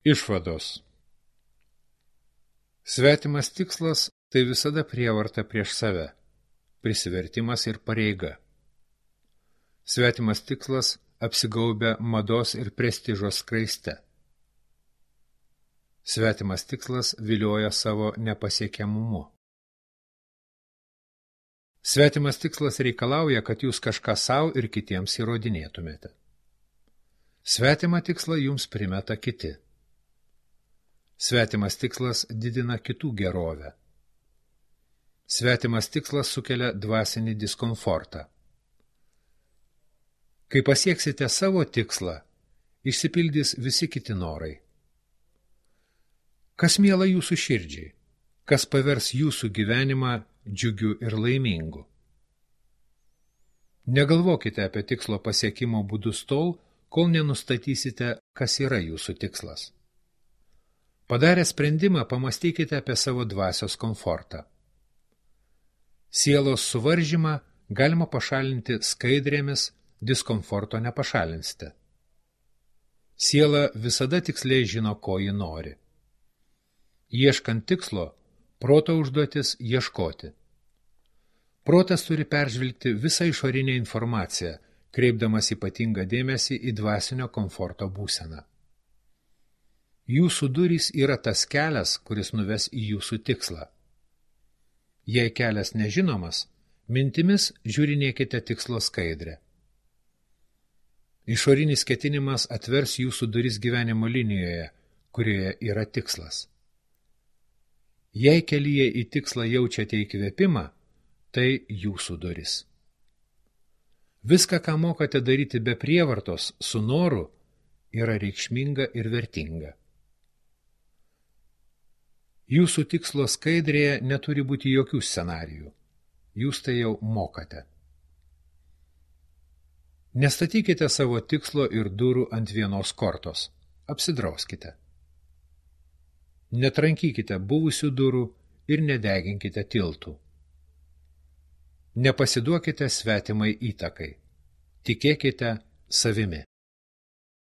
Išvados. Svetimas tikslas – tai visada prievarta prieš save, prisivertimas ir pareiga. Svetimas tikslas apsigaubia mados ir prestižo skraiste. Svetimas tikslas vilioja savo nepasiekiamumu. Svetimas tikslas reikalauja, kad jūs kažką savo ir kitiems įrodinėtumėte. Svetimą tikslą jums primeta kiti. Svetimas tikslas didina kitų gerovę. Svetimas tikslas sukelia dvasinį diskomfortą. Kai pasieksite savo tikslą, išsipildys visi kiti norai. Kas miela jūsų širdžiai, kas pavers jūsų gyvenimą džiugiu ir laimingu. Negalvokite apie tikslo pasiekimo būdus tol, kol nenustatysite, kas yra jūsų tikslas. Padarę sprendimą, pamastykite apie savo dvasios komfortą. Sielos suvaržymą galima pašalinti skaidrėmis, diskomforto nepašalinsite. Siela visada tiksliai žino, ko ji nori. Ieškant tikslo, proto užduotis ieškoti. Protas turi peržvelgti visą išorinę informaciją, kreipdamas ypatingą dėmesį į dvasinio komforto būseną. Jūsų durys yra tas kelias, kuris nuves į jūsų tikslą. Jei kelias nežinomas, mintimis žiūrinėkite tikslo skaidrę. Išorinis ketinimas atvers jūsų duris gyvenimo linijoje, kurioje yra tikslas. Jei kelyje į tikslą jaučiate įkvėpimą, tai jūsų duris. Viską, ką mokate daryti be prievartos, su noru, yra reikšminga ir vertinga. Jūsų tikslo skaidrėje neturi būti jokių scenarijų. Jūs tai jau mokate. Nestatykite savo tikslo ir durų ant vienos kortos. Apsidrauskite. Netrankykite buvusių durų ir nedeginkite tiltų. Nepasiduokite svetimai įtakai. Tikėkite savimi.